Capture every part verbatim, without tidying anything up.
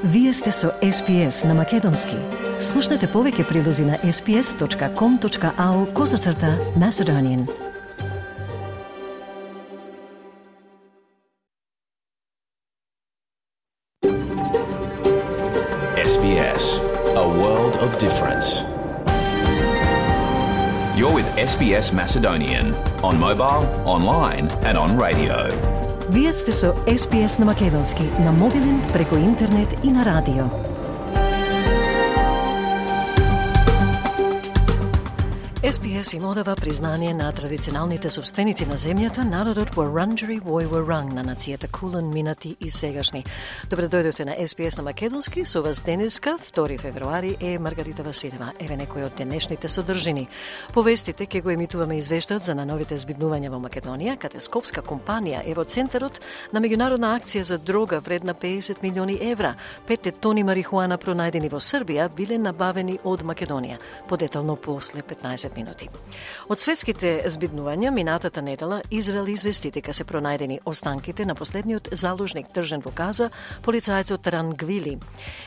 Вие сте со Ес Би Ес на Македонски. Слушнете повеќе прилози на ес би ес точка ком точка ау козацрта Macedonian. Ес Би Ес, a world of difference. You're with Ес Би Ес Macedonian on mobile, online and on radio. Вие сте со Ес Би Ес на Македонски, на мобилен, преку интернет и на радио. Ес Би Ес им одава признание на традиционалните собственици на земјата, народот Вуранџери вој Вуранг на нацијата Кулен, минати и сегашни. Добре дојдовте на Ес Би Ес на Македонски, со вас денеска, втори февруари, е Маргарита Василева. Еве некои од денешните содржини. Повестите ќе го емитуваме извештаот за најновите збиднувања во Македонија, каде скопска компанија е во центарот на меѓународна акција за дрога вредна педесет милиони евра. Петте тони марихуана пронајдени во Србија биле набавени од Македонија. Подетално после петнаесет минути. Од светските збиднувања, минатата недела Израел извести дека се пронајдени останките на последниот заложник држан во Газа, полицајецот Ран Гвили.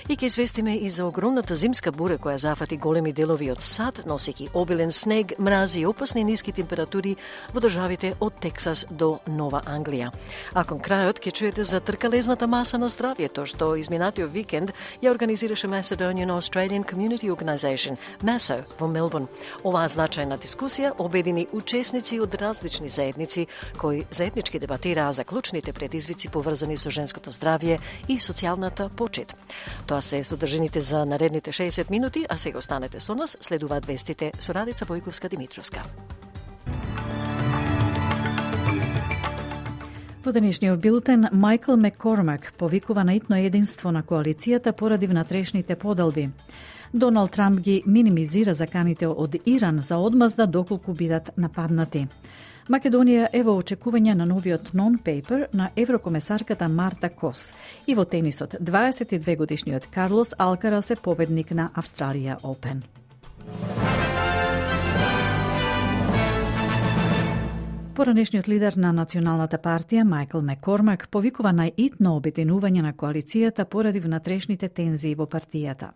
И ќе известиме и за огромната зимска бура која зафати големи делови од САД, носејќи обилен снег, мрази и опасни ниски температури во државите од Тексас до Нова Англија. А кон крајот ќе чуете за тркалезната маса на здравјето, што изминатиот викенд ја организираше Macedonian Australian Community Organisation, МАСО, во Мелбурн. Оваа значајна дискусија обедини учесници од различни заедници кои заеднички дебатираа за клучните предизвици поврзани со женското здравје и социјалната почит. Тоа се содржините за наредните шеесет минути, а сега останете со нас, следуваат вестите со Радица Војковска-Димитровска. Во денешниот билтен, Майкл Маккормак повикува на итно единство на коалицијата поради внатрешните поделби. Доналд Трамп ги минимизира заканите од Иран за одмазда доколку бидат нападнати. Македонија е во очекување на новиот нон-пейпер на еврокомесарката Марта Кос. И во тенисот, дваесет и две годишниот Карлос Алкарас е победник на Австралија Опен. Поранешниот лидер на Националната партија, Майкл Маккормак, повикува на итно обединување на коалицијата поради внатрешните тензии во партијата.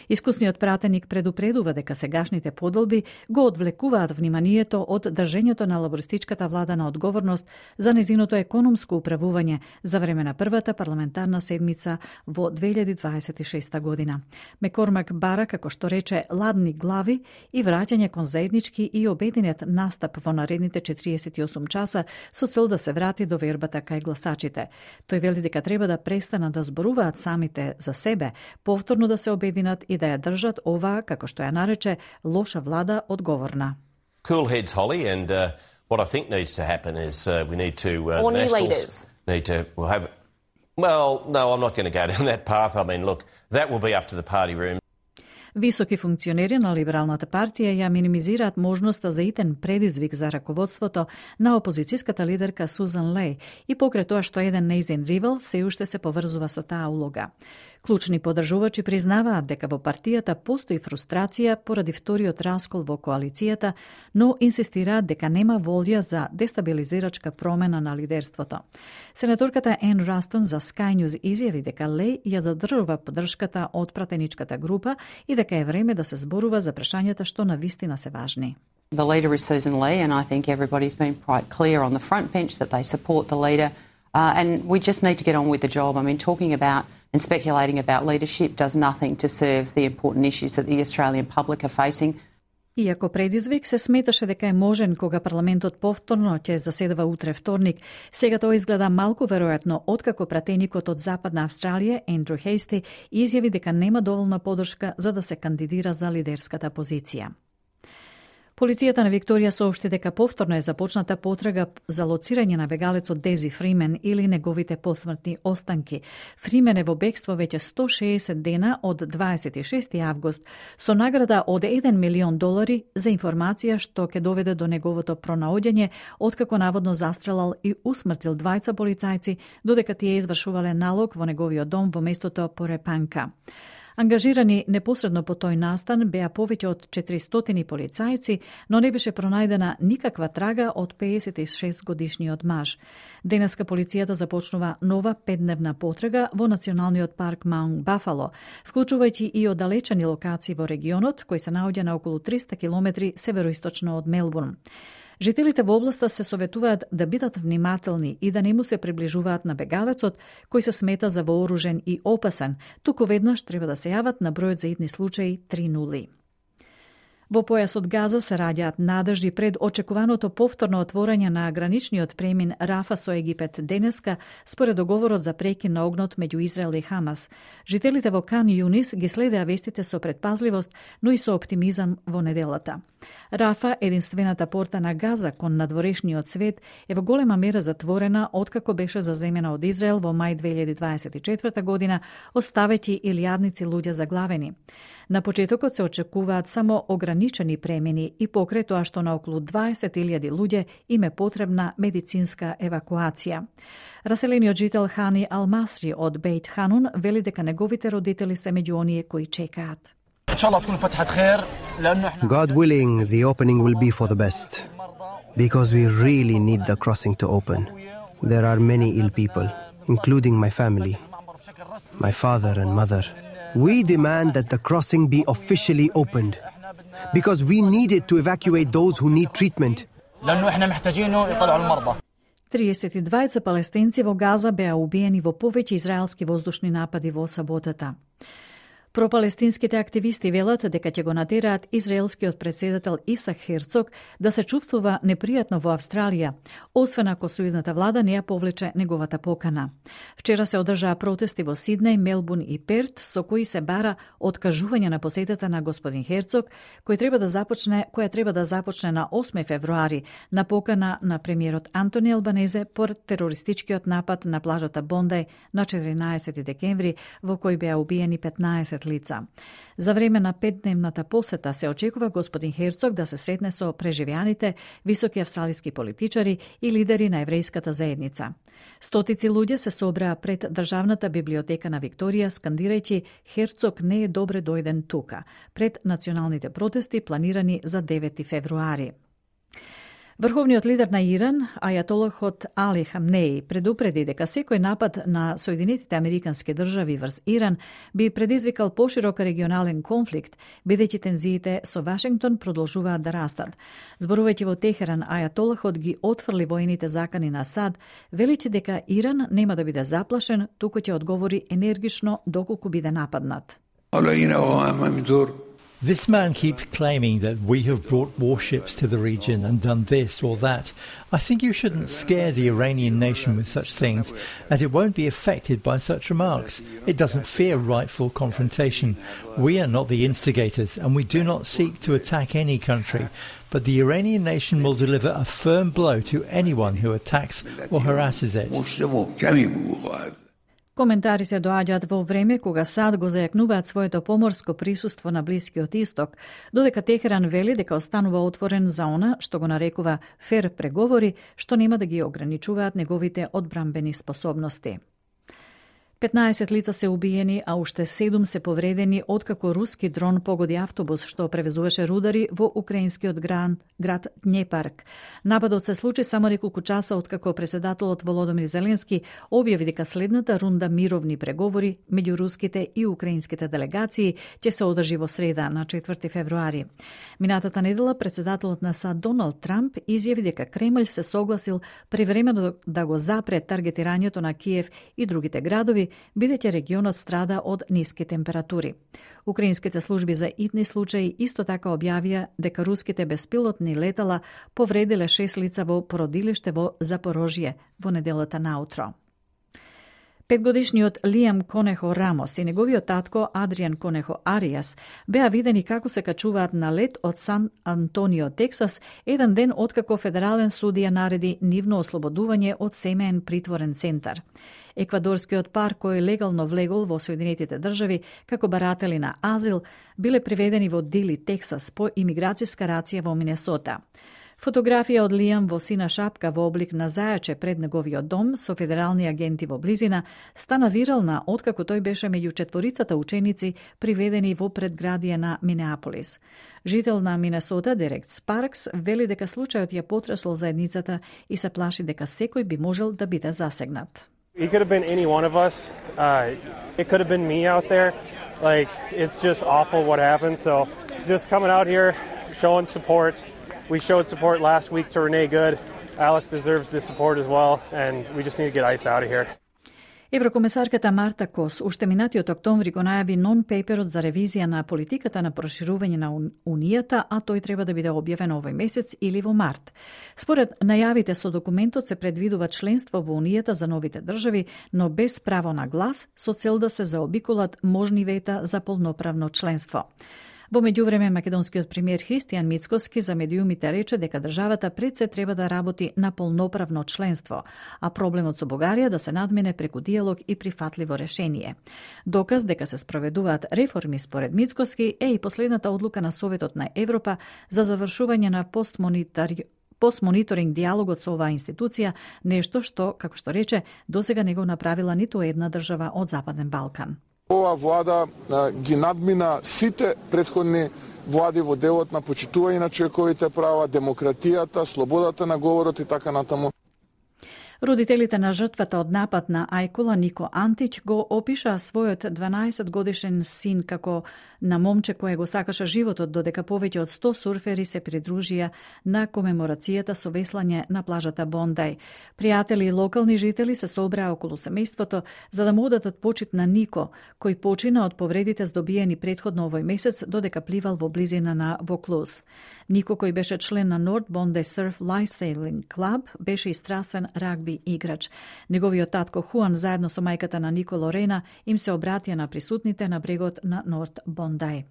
Искусниот пратеник предупредува дека сегашните поделби го одвлекуваат вниманието од држењето на лабористичката влада на одговорност за незиното економско управување за време на првата парламентарна седмица во две илјади дваесет и шеста година. Маккормак бара, како што рече, ладни глави и враќање кон заеднички и обединет настап во наредните четириесет и осум часа со цел да се врати до вербата кај гласачите. Тој вели дека треба да престанат да зборуваат самите за себе, повторно да се обединат и да ја држат оваа, како што ја нарече, лоша влада одговорна. Cool heads, Holly, and uh, what I think needs to happen is uh, we need to... Uh, Or new leaders. Need to we'll have... Well, no, I'm not going to go down that path. I mean, look, that will be up to the party room. Високи функционери на Либералната партија ја минимизираат можноста за итен предизвик за раководството на опозицијската лидерка Сузан Леј и покрај тоа што еден нејзин ривал се уште се поврзува со таа улога. Клучни подржувачи признаваат дека во партијата постои фрустрација поради вториот раскол во коалицијата, но инсистираат дека нема волја за дестабилизирачка промена на лидерството. Сенаторката Ен Растон за Sky News изјави дека Леј ја задржува поддршката од пратеничката група и дека е време да се зборува за прашањата што навистина се важни. The leader is Susan Lee, and I think everybody's been quite clear on the front bench that they support the leader. Uh, and we just need to get on with the job. I mean, talking about and speculating about leadership does nothing to serve the important issues that the Australian public are facing. Иако предизвик се сметаше дека е можен кога парламентот повторно ќе заседава утре вторник, сега тоа изгледа малку веројатно откако пратеникот од Западна Австралија, Ендрю Хейсти, изјави дека нема доволна поддршка за да се кандидира за лидерската позиција. Полицијата на Викторија соопшти дека повторно е започната потрага за лоцирање на бегалецот Дези Фримен или неговите посмртни останки. Фримен е во бегство веќе сто шеесет дена од дваесет и шести август со награда од еден милион долари за информација што ќе доведе до неговото пронаоѓање откако наводно застрелал и усмртил двајца полицајци додека тие извршувале налог во неговиот дом во местото Порепанка. Ангажирани непосредно по тој настан беа повеќе од четиристотини полицајци, но не беше пронајдена никаква трага од пеесет и шест годишниот маж. Денеска полицијата започнува нова петдневна потрага во националниот парк Маунт Бафало, вклучувајќи и оддалечени локации во регионот, кој се наоѓа на околу триста километри североисточно од Мелбурн. Жителите во областа се советуваат да бидат внимателни и да не му се приближуваат на бегалецот, кој се смета за вооружен и опасен, туку веднаш треба да се јават на бројот за итни случаи три нула. Во појасот Газа се раѓаат надежди пред очекуваното повторно отворање на граничниот премин Рафа со Египет денеска, според договорот за прекин на огнот меѓу Израел и Хамас. Жителите во Кан Юнис ги следеа вестите со предпазливост, но и со оптимизам во неделата. Рафа, единствената порта на Газа кон надворешниот свет, е во голема мера затворена откако беше заземена од Израел во мај две илјади дваесет и четврта година, оставејќи илјадници луѓе заглавени. На почетокот се очекуваат само ограничени премини и покрај тоа што на околу дваесет илјади луѓе им е потребна медицинска евакуација. Раселениот жител Хани Алмасри од Бейт Ханун вели дека неговите родители се меѓу оние кои чекаат. God willing, the opening will be for the best, because we really need the crossing to open. There are many ill people, including my family, my father and mother. We demand that the crossing be officially opened, because we need it to evacuate those who need treatment. триесет и двајца палестинци во Газа беа убиени во повеќе израелски воздушни напади во саботата. Пропалестинските активисти велат дека ќе го натераат израелскиот председател Исак Херцог да се чувствува непријатно во Австралија, освен ако сојузната влада не ја повлече неговата покана. Вчера се одржаа протести во Сиднеј, Мелбурн и Перт, со кои се бара откажување на посетата на господин Херцог, кој треба да започне, која треба да започне на осми февруари, на покана на премиерот Антони Албанезе по терористичкиот напад на плажата Бондај на четиринаесети декември, во кој беа убиени петнаесет лица. За време на петдневната посета се очекува господин Херцог да се сретне со преживеаните, високи австралиски политичари и лидери на еврејската заедница. Стотици луѓе се собраа пред Државната библиотека на Викторија, скандирајќи "Херцог не е добре дојден тука", пред националните протести планирани за девети февруари. Врховниот лидер на Иран, ајатолахот Али Хамнеи, предупреди дека секој напад на Соединетите Американски држави врз Иран би предизвикал поширок регионален конфликт, бидејќи тензиите со Вашингтон продолжуваат да растат. Зборувајќи во Техеран, ајатолахот ги отфрли воените закани на САД, велејќи дека Иран нема да биде заплашен, туку ќе одговори енергично доколку биде нападнат. This man keeps claiming that we have brought warships to the region and done this or that. I think you shouldn't scare the Iranian nation with such things, as it won't be affected by such remarks. It doesn't fear rightful confrontation. We are not the instigators, and we do not seek to attack any country. But the Iranian nation will deliver a firm blow to anyone who attacks or harasses it. Коментарите доаѓаат во време кога САД го зајакнуваат своето поморско присуство на Блискиот Исток, додека Техеран вели дека останува отворен за она што го нарекува фер преговори, што нема да ги ограничуваат неговите одбрамбени способности. петнаесет лица се убиени, а уште седум се повредени откако руски дрон погоди автобус што превезуваше рудари во украинскиот град, град Днепарк. Нападот се случи само неколку часа откако председателот Володомир Зеленски објави дека следната рунда мировни преговори меѓу руските и украинските делегации ќе се одржи во среда на четврти февруари. Минатата недела председателот на САД Доналд Трамп изјави дека Кремљ се согласил превремено да го запре таргетирањето на Киев и другите градови, бидејќи регионот страда од ниски температури. Украинските служби за итни случаи исто така објавија дека руските беспилотни летала повредиле шест лица во породилиште во Запорожје во неделата наутро. Петгодишниот Лиам Конехо Рамос и неговиот татко Адриан Конехо Ариас беа видени како се качуваат на лет од Сан Антонио, Тексас, еден ден откако федерален судија нареди нивно ослободување од семеен притворен центар. Еквадорскиот пар кој легално влегол во Соединетите држави како баратели на азил биле приведени во Дили, Тексас по имиграцијска рација во Минесота. Фотографија од Лиам во сина шапка во облик на зајаче пред неговиот дом со федерални агенти во близина стана вирална откако тој беше меѓу четворицата ученици приведени во предградие на Минеаполис. Жител на Минесота, Дерек Спаркс, вели дека случајот ја потресол заедницата и се плаши дека секој би можел да биде засегнат. He could have been any one of us. Uh, it could have been me out there. Like, it's just awful what happened. So just coming out here, showing support. We showed support last week to Renee Good. Alex deserves the support as well, and we just need to get ice out of here. Еврокомесарката Марта Кос уште минатиот октомври го најави нон-пейперот за ревизија на политиката на проширување на Унијата, а тој треба да биде објавен овој месец или во март. Според најавите со документот се предвидува членство во Унијата за новите држави, но без право на глас, со цел да се заобиколат можни вета за полноправно членство. Во меѓувреме, македонскиот премиер Христијан Мицкоски за медиумите рече дека државата пред се треба да работи на полноправно членство, а проблемот со Бугарија да се надмене преку диалог и прифатливо решение. Доказ дека се спроведуваат реформи според Мицкоски е и последната одлука на Советот на Европа за завршување на постмонитари постмониторинг диалогот со оваа институција, нешто што, како што рече, досега не го направила ниту една држава од Западен Балкан. Ова влада а, ги надмина сите претходни влади во делот на почитување на човековите права, демократијата, слободата на говорот и така натаму. Родителите на жртвата од напад на Ајкула, Нико Антич, го опиша својот дванаесет годишен син како на момче кое го сакаше животот, додека повеќе од сто сурфери се придружија на комеморацијата со веслање на плажата Бондај. Пријатели и локални жители се собраа околу семејството за да му одатат почит на Нико, кој почина од повредите здобиени претходно овој месец додека пливал во близина на Воклуз. Нико, кој беше член на North Bondi Surf Lifesaving Club, беше и страствен рагби играч. Неговиот татко Хуан заедно со мајката на Нико Лорена им се обратија на присутните на брегот на Норт Бондај.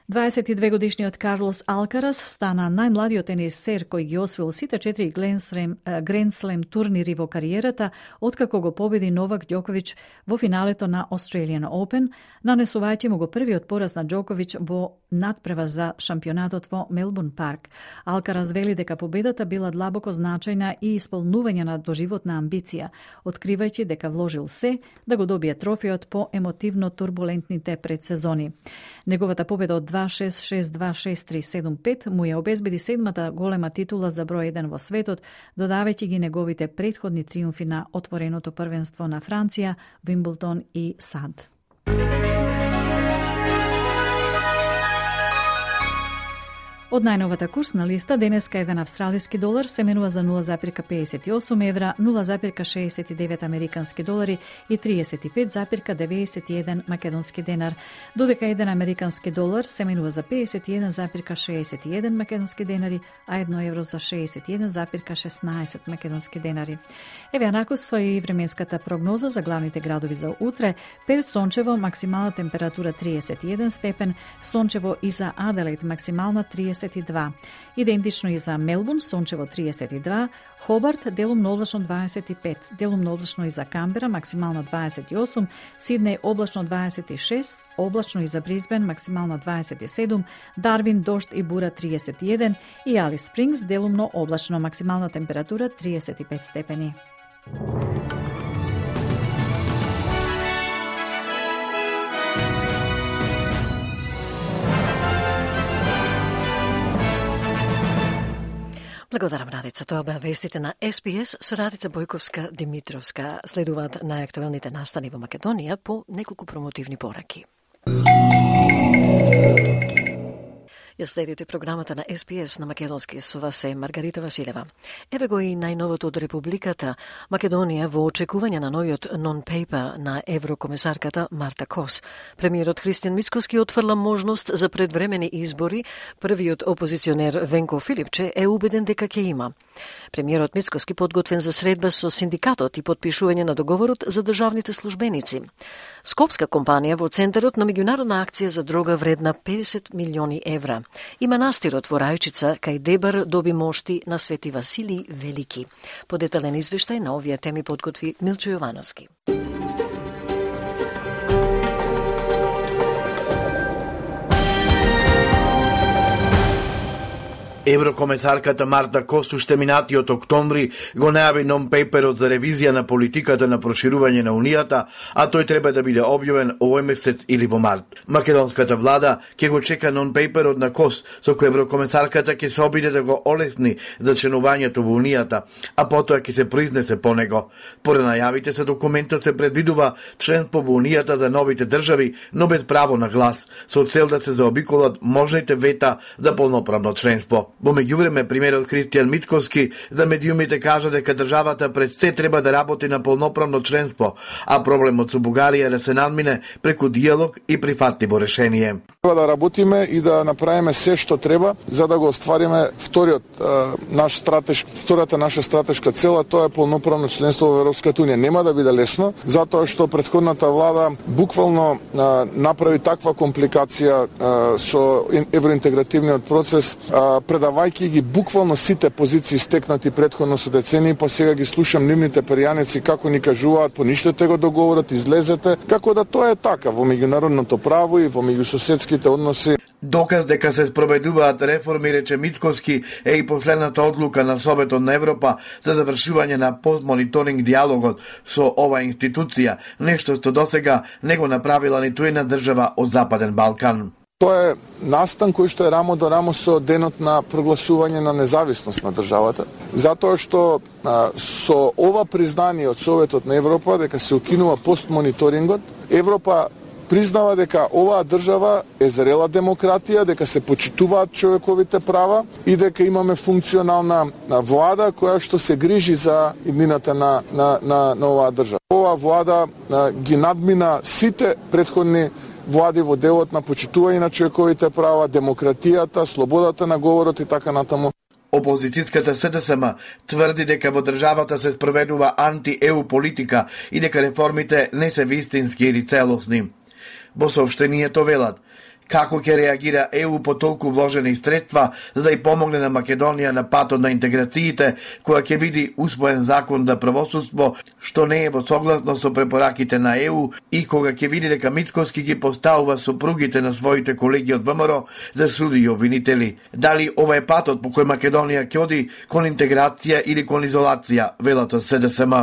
дваесет и две годишниот Карлос Алкарас стана најмладиот тенисер кој ги освоил сите четири Гранд Слем турнири во кариерата, откако го победи Новак Ѓоковиќ во финалето на Australian Open, нанесувајќи му го првиот пораз на Ѓоковиќ во надпрева за шампионатот во Мелбурн парк. Алкарас вели дека победата била длабоко значајна и исполнување на доживотна амбиција, откривајќи дека вложил се да го добие трофеот по емотивно турбулентните предсезони. Неговата победа од два шест шест два шест три седум пет му ја обезбеди седмата голема титула за број еден во светот, додавајќи ги неговите претходни триумфи на отвореното првенство на Франција, Вимблдон и САД. Од најновата курсна листа, денеска еден австралиски долар се менува за нула запир педесет и осум евра, нула запир шеесет и девет американски долари и триесет и пет запир деветдесет и еден македонски денар, додека еден американски долар се менува за педесет и еден запир шеесет и еден македонски денари, а едно евро за шеесет и еден запир шеснаесет македонски денари. Еве анакус со и временската прогноза за главните градови за утре. Перт сончево, максимална температура триесет и еден степен, сончево и за Аделаид максимална триесет и два. Идентично и за Мелбурн, сончево триесет и два, Хобарт делумно облачно дваесет и пет, делумно облачно и за Камбера, максимално дваесет и осум, Сиднеј облачно дваесет и шест, облачно и за Брисбен, максимално дваесет и седум, Дарвин дожд и бура триесет и еден и Алис Спрингс делумно облачно, максимална температура триесет и пет степени. Благодарам, Радица. Тоа беа вестите на Ес Би Ес со Радица Бојковска-Димитровска. Следуваат најактуелните настани во Македонија по неколку промотивни пораки. Ја следите програмата на Ес Би Ес на македонски, со вас е Маргарита Василева. Еве го и најновото од Републиката Македонија во очекување на новиот нон-пейпер на еврокомесарката Марта Кос. Премиерот Христијан Мицкоски отфрла можност за предвремени избори. Првиот опозиционер Венко Филипче е убеден дека ќе има. Премиерот Мицкоски подготвен за средба со синдикатот и подпишување на договорот за државните службеници. Скопска компанија во центарот на меѓународна акција за дрога вредна педесет милиони евра. И манастирот во Рајчица кај Дебар доби мошти на Свети Василий Велики. Подетален извештај на овие теми подготви Милчо Јовановски. Еврокомесарката Марта Кос уште минатиот октомври го најави нон-пейперот за ревизија на политиката на проширување на Унијата, а тој треба да биде објавен овој месец или во март. Македонската влада ќе го чека нон-пейперот на Кос, со кој еврокомесарката ќе се обиде да го олесни за членувањето во Унијата, а потоа ќе се произнесе по него. Поред најавите со документот се предвидува членство во Унијата за новите држави, но без право на глас, со цел да се заобиколат можните вета за полноправно членство. Во меѓувреме, премиерот Христијан Мицкоски за медиумите кажа дека државата пред се треба да работи на полноправно членство, а проблемот со Бугарија да се надмине преку диалог и прифатливо решение. Треба да работиме и да направиме се што треба за да го оствариме вториот наш стратешки втората наша стратешка цел, тоа е полноправно членство во Европската унија. Нема да биде лесно, затоа што претходната влада буквално а, направи таква компликација а, со евроинтегративниот процес, а, предавајќи ги буквално сите позиции стекнати претходно со децении, па сега ги слушам нивните перијаници како ни кажуваат поништете го договорот, излезете, како да тоа е така во меѓународното право и во меѓусоседските односи. Доказ дека се спроведуваат реформи, рече Мицкоски, е и последната одлука на Советот на Европа за завршување на постмониторинг диалогот со оваа институција, нешто што досега не го направила ниту една држава од Западен Балкан. Тоа е настан кој што е рамо до рамо со денот на прогласување на независност на државата, затоа што а, со ова признание од Советот на Европа дека се укинува постмониторингот, Европа признава дека оваа држава е зрела демократија, дека се почитуваат човековите права и дека имаме функционална влада која што се грижи за иднината на, на, на, на оваа држава. Оваа влада а, ги надмина сите претходни влади во делот на почитување на човековите права, демократијата, слободата на говорот и така натаму. Опозицијската СДСМ тврди дека во државата се спроведува анти-ЕУ политика и дека реформите не се вистински или целосни. Во соопштението велат како ќе реагира ЕУ по толку вложени средства за да и помогне на Македонија на патот на интеграциите, која ќе види усвоен закон за правосудство, што не е во согласност со препораките на ЕУ и кога ќе види дека Мицкоски ги поставува сопругите на своите колеги од ВМРО за суди и обвинители. Дали ова е патот по кој Македонија ќе оди кон интеграција или кон изолација, велат од СДСМ.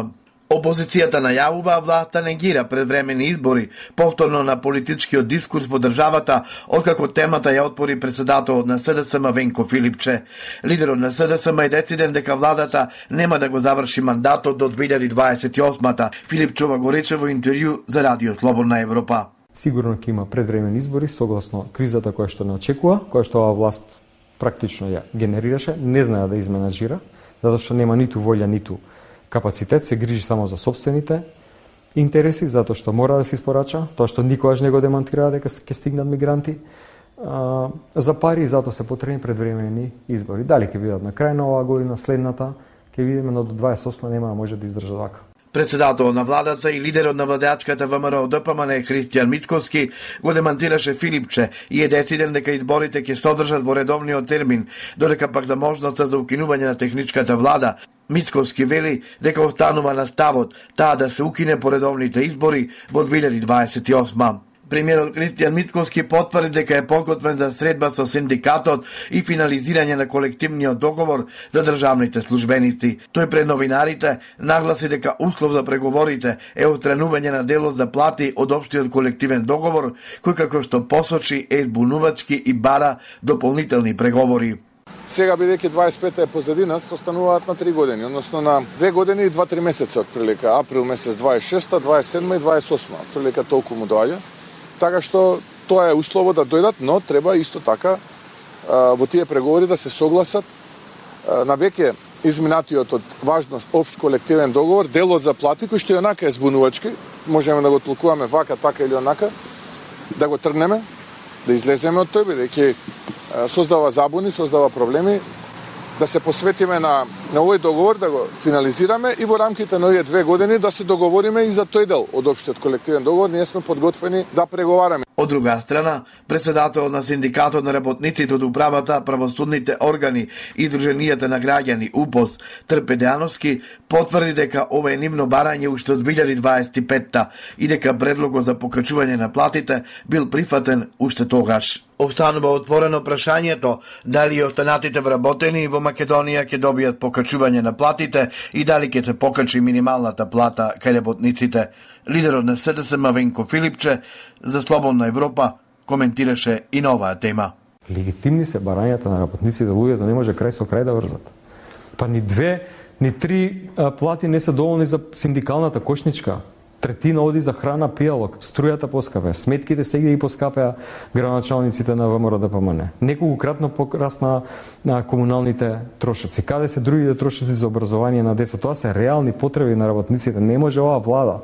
Опозицијата најавува, власта негира предвремени избори, повторно на политичкиот дискурс во државата, откако темата ја отпори председателот на СДСМ Венко Филипче. Лидерот на СДСМ е дециден дека владата нема да го заврши мандатот до две илјади дваесет и осма. Филипчова го рече во интервју за Радио Слободна Европа. Сигурно ќе има предвремени избори согласно кризата која што не очекува, која што оваа власт практично ја генерираше, не знае да изменаџира, затоа што нема ниту волја, ниту капацитет, се грижи само за собствените интереси, затоа што мора да се испорача, тоа што никогаш не го демонтира дека ќе стигнат мигранти а, за пари, и затоа се потребни предвремени избори. Дали ќе бидат на крај на оваа година, следната, ќе видиме, но до дваесет и осма нема да може да издржа вака. Председател на владата и лидерот на владеачката ВМРО ДПМН Христијан Мицкоски го демантираше Филипче и е дециден дека изборите ќе се одржат во редовниот термин, додека пак за можноста за укинување на техничката влада. Мицкоски вели дека останува на ставот таа да се укине по редовните избори во две илјади дваесет и осма. Премиерот Христијан Мицкоски потврди дека е подготвен за средба со синдикатот и финализирање на колективниот договор за државните службеници. Тој пред новинарите нагласи дека услов за преговорите е отстранување на делот за плати од општиот колективен договор, кој како што посочи е збунувачки и бара дополнителни преговори. Сега, бидејќи дваесет и пета е позади нас, остануваат на три години, односно на две години и два-три месеца отприлика, април месец дваесет и шеста, дваесет и седма и дваесет и осма, отприлика толку му доаѓа. Така што тоа е услово да дојдат, но треба исто така во тие преговори да се согласат на веќе изминатиот од важност општ колективен договор, делот за плати, кој што и онака е збунувачки, можеме да го толкуваме вака, така или онака, да го тргнеме, да излеземе од тој, бидејќи создава забуни, создава проблеми, да се посветиме на на овој договор да го финализираме и во рамките на овие две години да се договориме и за тој дел од општиот колективен договор. Ние сме подготвени да преговараме. Од друга страна, председателот на синдикатот на работниците од управата, правосудните органи и Друженијата на граѓани УПОС Трпе Дејановски потврди дека ова е нивно барање уште од две илјади дваесет и петта и дека предлогот за покачување на платите бил прифатен уште тогаш. Останува отворено прашањето дали останатите вработени во Македонија ќе добијат покачување на платите и дали ќе се покачи минималната плата кај работниците. Лидерот на С Д С М Венко Филипче за Слободна Европа коментираше и на оваа тема. Легитимни се барањата на работниците, луѓето не може крај со крај да врзат. Па ни две, ни три а, плати не се доволни за синдикалната кошничка. Третина оди за храна, пијалок, струјата поскапе, сметките сега и поскапеа градоначалниците на ВМРО Д П М Н. Неколкократно порасна на комуналните трошоци. Каде се другите трошоци за образование на деца? Тоа се реални потреби на работниците. Не може оваа влада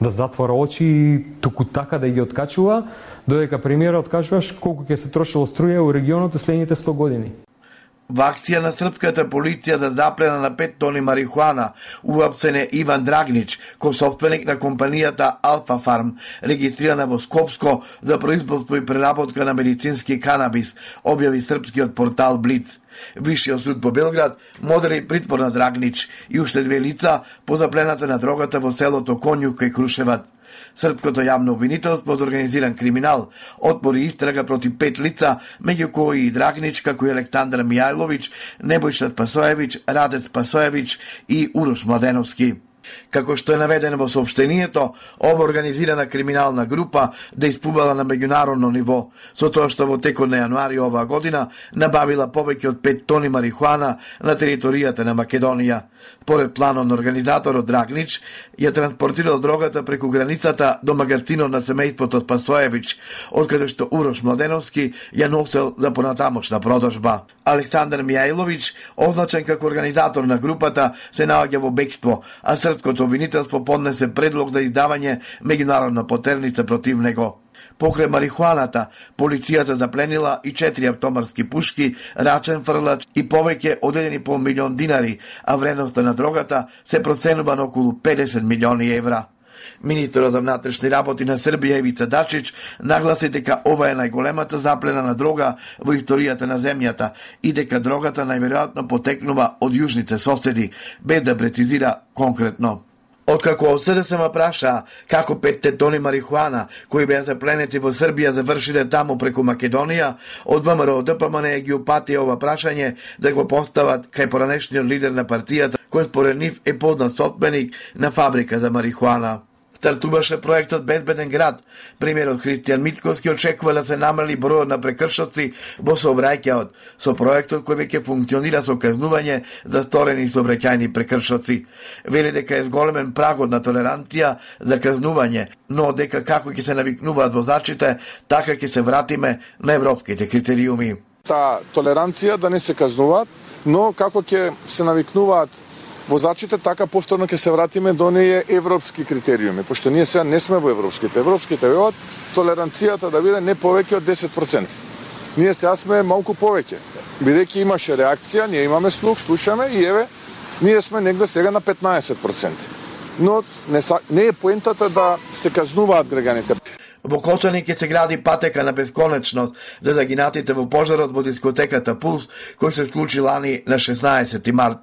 да затвора очи и туку така да ги откачува, додека премиерот кажуваш колку ќе се трошило струја у регионот у следните сто години. Во акција на српската полиција за заплена на пет тони марихуана уапсен е Иван Драгнич, косопственик на компанијата Алфа Фарм, регистрирана во Скопско за производство и преработка на медицински канабис, објави српскиот портал Блиц. Висшиот суд во Белград модели притвор на Драгнич и уште две лица по заплената на дрогата во селото Конјук кај Крушеват. Српското јавно обвинителство од организиран криминал отвори истрага против пет лица, меѓу кои и Драгнич, како и Александар Мијајловиќ, Небојша Спасоевиќ, Радец Спасоевиќ и Урош Младеновски. Како што е наведено во соопштението, ова организирана криминална група дејствувала на меѓународно ниво, со тоа што во текот на јануари оваа година набавила повеќе од пет тони марихуана на територијата на Македонија. Според планот на организаторот Драгнич, ја транспортирал дрогата преку границата до магазинот на семејството Спасоевиќ, откаде што Урош Младеновски ја носел за понатамошна продажба. Александар Мијајловиќ, означен како организатор на групата, се наоѓа во бегство, а српското обвинителство поднесе предлог за издавање меѓународна потерница против него. Покрај марихуаната, полицијата запленила и четири автоматски пушки, рачен фрлач и повеќе од еден и пол милион динари, а вредноста на дрогата се проценува на околу педесет милиони евра. Министерот за внатрешни работи на Србија Ивица Дачич нагласи дека ова е најголемата заплена на дрога во историјата на земјата и дека дрогата најверојатно потекнува од јужните соседи, без да прецизира конкретно. Откако од С Д С М праша како петте тони марихуана кои беа запленети во Србија завршиле таму преку Македонија, од В М R O Д П М Н ги упати ова прашање да го постават кај поранешниот лидер на партијата, кој според нив е познат собственик на фабрика за марихуана. Стартуваше проектот Безбеден град. Премиерот Христијан Мицкоски очекува да се намали бројот на прекршоци во сообраќајот, со проектот кој веќе функционира со казнување за сторени сообраќајни прекршоци. Вели дека е зголемен прагот на толеранција за казнување, но дека како ќе се навикнуваат возачите, така ќе се вратиме на европските критериуми. Таа толеранција да не се казнуваат, но како ќе се навикнуваат возачите, така повторно ќе се вратиме до оние европски критериуми, пошто ние сега не сме во европските. Европските велат толеранцијата да биде не повеќе од десет проценти. Ние сега сме малку повеќе. Бидејќи имаше реакција, ние имаме слух, слушаме и еве, ние сме негде сега на петнаесет проценти. Но не, не е поентата да се казнуваат граѓаните. Во Кочани ќе се гради патека на бесконечност за загинатите во пожарот во дискотеката Пулс, кој се случи лани на шеснаесети март.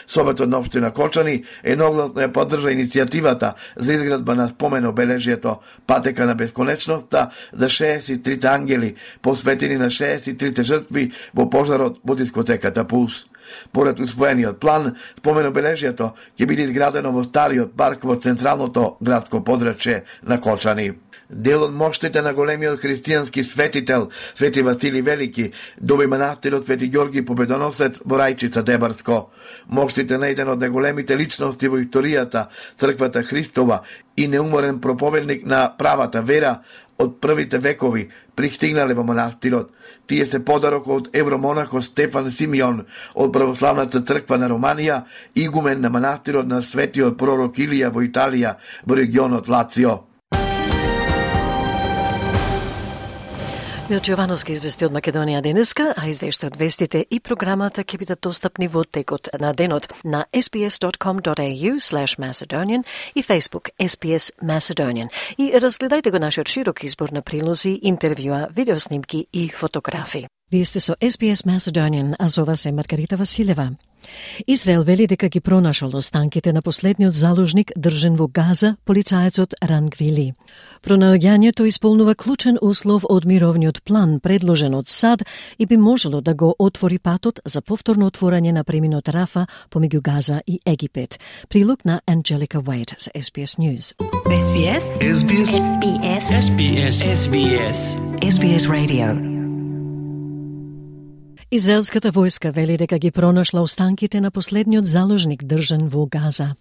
Советот на општина Кочани едногласно ја поддржа иницијативата за изградба на спомен обележјето патека на бесконечноста за шеесет и трите ангели, посветени на шеесет и трите жртви во пожарот во дискотеката Пулс. Поред усвоениот план, спомен обележјето ќе биде изградено во стариот парк во централното градско подрачје на Кочани. Дел од моштите на големиот христијански светител Свети Васили Велики доби манастирот Свети Ѓорги Победоносец во Рајчица Дебарско. Моштите на еден од најголемите личности во историјата, црквата Христова и неуморен проповедник на правата вера од првите векови пристигнале во манастирот. Тие се подарок од евромонахот Стефан Симеон од православната црква на Романија, игумен на манастирот на светиот пророк Илија во Италија во регионот Лацио. Милче Јовановски извести од Македонија денеска, а извештајот, вестите и програмата ќе бидат достапни во текот на денот на ес би ес dot com dot a u slash Macedonian и Facebook ес би ес Macedonian. И разгледајте го нашиот широк избор на прилози, интервјуа, видеоснимки и фотографии. Вие сте со ес би ес Macedonian, а зова се Маргарита Василева. Израел вели дека ги пронашол останките на последниот заложник држен во Газа, полицаецот Ран Гвили. Пронаоѓањето исполнува клучен услов од мировниот план предложен од САД и би можело да го отвори патот за повторно отворање на преминот Рафа помеѓу Газа и Египет. Прилог на Анджелика Уейт за ес би ес News. ес би ес ес би ес ес би ес ес би ес ес би ес ес би ес Radio. Израелската војска вели дека ги пронашла останките на последниот заложник држан во Газа.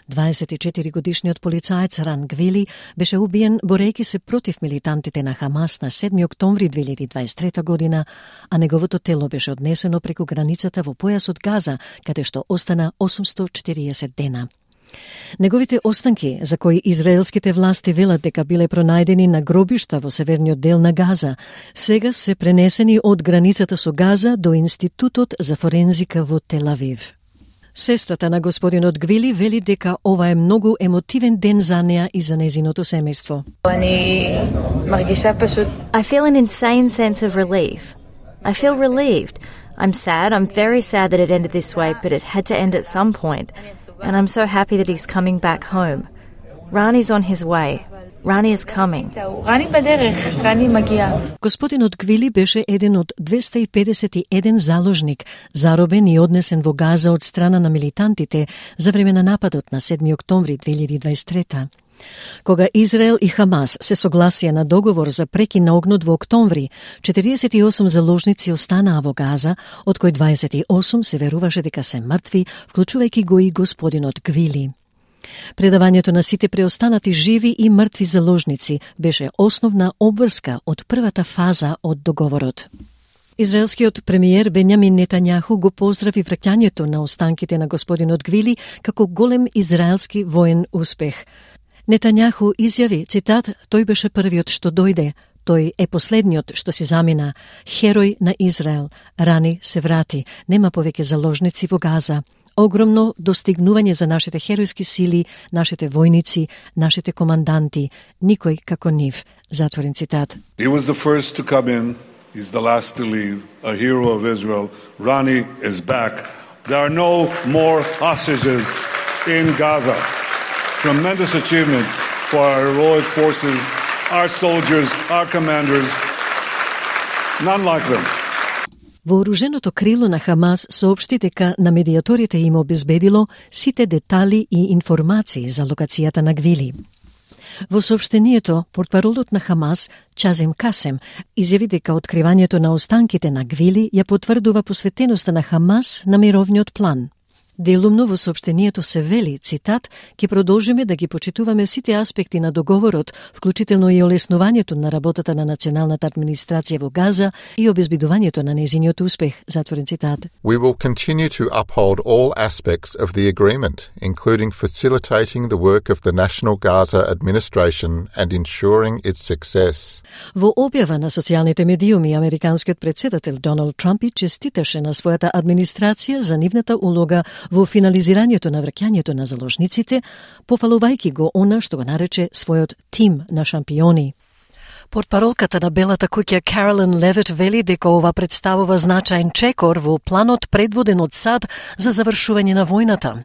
дваесет и четири годишниот полицаец Ран Гвили беше убиен борејќи се против милитантите на Хамас на седми октомври две илјади дваесет и трета година, а неговото тело беше однесено преку границата во појасот Газа, каде што остана осумсто и четириесет дена. Неговите останки, за кои израелските власти велат дека биле пронајдени на гробишта во северниот дел на Газа, сега се пренесени од границата со Газа до Институтот за форензика во Тел Авив. Сестрата на господинот Гвили вели дека ова е многу емотивен ден за неа и за незиното семејство. I feel an insane sense of relief. I feel relieved. I'm sad. I'm very sad that it ended this way, but it had to end at some point. And I'm so happy that he's coming back home. Rani's on his way. Rani is coming. Господинот Гвили беше еден од двеста и педесет и еден заложник, заробен и однесен во Газа од страна на милитантите за време на нападот на седми октомври две илјади дваесет и трета. Кога Израел и Хамас се согласија на договор за прекин на огнот во октомври, четириесет и осум заложници останаа во Газа, од кои дваесет и осум се веруваше дека се мртви, вклучувајќи го и господинот Гвили. Предавањето на сите преостанати живи и мртви заложници беше основна обврска од првата фаза од договорот. Израелскиот премиер Бенјамин Нетањаху го поздрави враќањето на останките на господинот Гвили како голем израелски воен успех. Нетањаху изјави, цитат, тој беше првиот што дојде, тој е последниот што си замина, херој на Израел, Рани се врати, нема повеќе заложници во Газа. Огромно достигнување за нашите херојски сили, нашите војници, нашите команданти, никој како нив. Затворен цитат. He was the first to come in, he's the last to leave, a hero of Israel. Rani is back. There are no more hostages in Gaza. Tremendous achievement for our heroic forces, our soldiers, our commanders. None like them. Вооруженото крило на Хамас соопшти дека на медиаторите им обезбедило сите детали и информации за локацијата на Гвили. Во соопштението, портпаролот на Хамас, Чазим Касем, изјави дека откривањето на останките на Гвили ја потврдува посветеноста на Хамас на мировниот план. Делумно во соопштението се вели, цитат, ќе продолжиме да ги почитуваме сите аспекти на договорот, вклучително и олеснувањето на работата на националната администрација во Газа и обезбедувањето на незиниот успех, затворен цитат. We will continue to uphold all aspects of the agreement, including facilitating the work of the National Gaza Administration and ensuring its success. Во објава на социјалните медиуми, американскиот председател Доналд Трамп и честиташе на својата администрација за нивната улога во финализирањето на враќањето на заложниците, пофалувајќи го она што го нарече својот тим на шампиони. Портпаролката на Белата куќа Каролин Левит вели дека ова представува значаен чекор во планот предводен од САД за завршување на војната.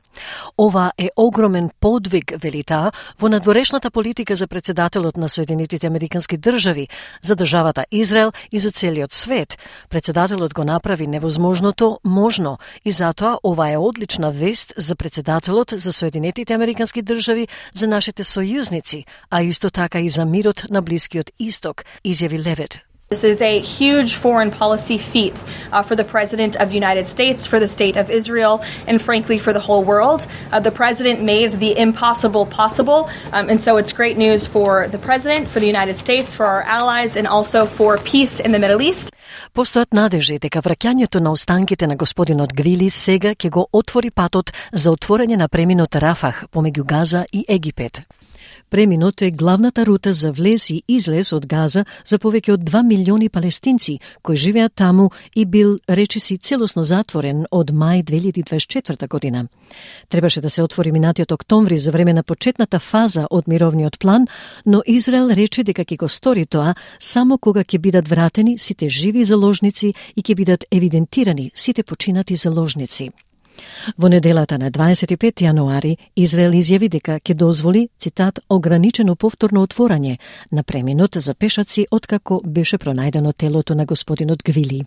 Ова е огромен подвиг, вели таа, во надворешната политика за председателот на Соединетите Американски држави, за државата Израел и за целиот свет. Председателот го направи невозможното можно и затоа ова е одлична вест за председателот за Соединетите Американски држави, за нашите сојузници, а исто така и за мирот на Блискиот Исток, изјави Левит. This is a huge foreign policy feat uh, for the President of the United States, for the State of Israel, and frankly for the whole world. Uh, the President made the impossible possible, um, and so it's great news for the President, for the United States, for our allies, and also for peace in the Middle East. Постојат надежи дека враќањето на останките на господинот Гвили сега ќе го отвори патот за отворање на преминот Рафах помеѓу Газа и Египет. Преминот е главната рута за влез и излез од Газа за повеќе од два милиони палестинци кои живеат таму и бил речиси целосно затворен од мај две илјади дваесет и четврта година. Требаше да се отвори минатиот октомври за време на почетната фаза од мировниот план, но Израел рече дека ќе го стори тоа само кога ќе бидат вратени сите живи заложници и ќе бидат евидентирани сите починати заложници. Во неделата на дваесет и пети јануари Израел изјави дека ќе дозволи, цитат, ограничено повторно отворање на преминот за пешаци откако беше пронајдено телото на господинот Гвили.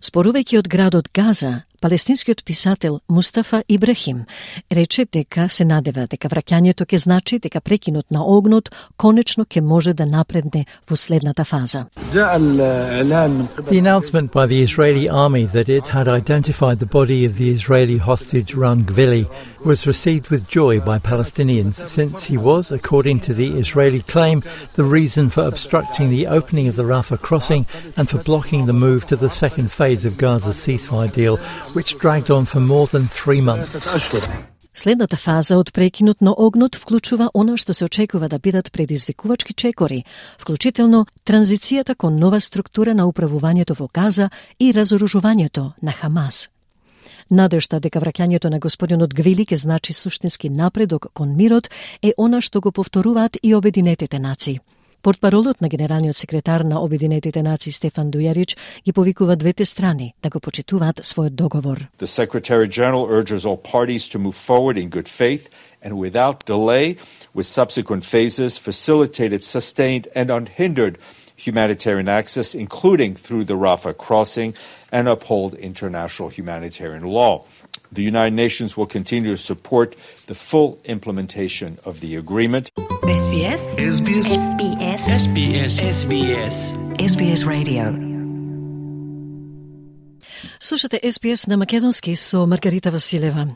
Спорувајќи од градот Газа, палестинскиот писател Мустафа Ибрахим рече дека се надева дека враќањето ќе значи дека прекинот на огнот конечно ќе може да напредне во следната фаза. The announcement by the Israeli army that it had identified the body of the Israeli hostage Ran Gvili was received with joy by Palestinians since he was, according to the Israeli claim, the reason for obstructing the opening of the Rafah crossing and for blocking the move to the second phase of Gaza's ceasefire deal, which dragged on for more than three months. Следната фаза од прекинот на огнот вклучува она што се очекува да бидат предизвикувачки чекори, вклучително транзицијата кон нова структура на управувањето во Газа и разоружувањето на Хамас. Надежта дека враќањето на господинот Гвили ќе значи суштински напредок кон мирот е она што го повторуваат и Обединетите нации. Портпаролот на генералниот секретар на Обединетите нации Стефан Дујарич ги повикува двете страни да го почитуваат својот договор. The Secretary General urges all parties to move forward in good faith and without delay with subsequent phases facilitated sustained and unhindered humanitarian access, including through the Rafah crossing, and uphold international humanitarian law. The United Nations will continue to support the full implementation of the agreement. S B S S B S S B S S B S S B S S B S Radio. Слушате Ес Би Ес на македонски со Маргарита Василева.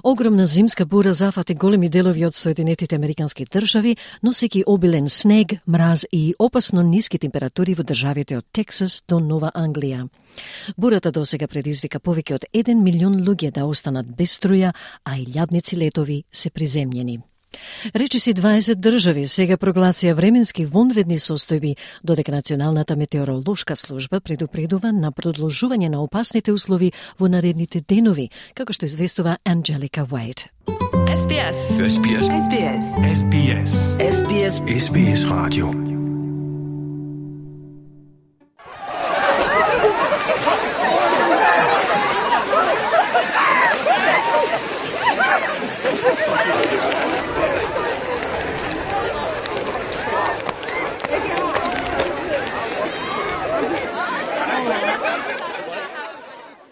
Огромна зимска бура зафати големи делови од Соединетите Американски држави, носејќи обилен снег, мраз и опасно ниски температури во државите од Тексас до Нова Англија. Бурата досега предизвика повеќе од еден милион луѓе да останат без струја, а илјадници летови се приземјени. Речиси дваесет држави сега прогласија временски вонредни состојби, додека Националната метеоролошка служба предупредува на продолжување на опасните услови во наредните денови, како што известува Анджелика Уајт. S B S S B S S B S S B S S B S S B S Radio.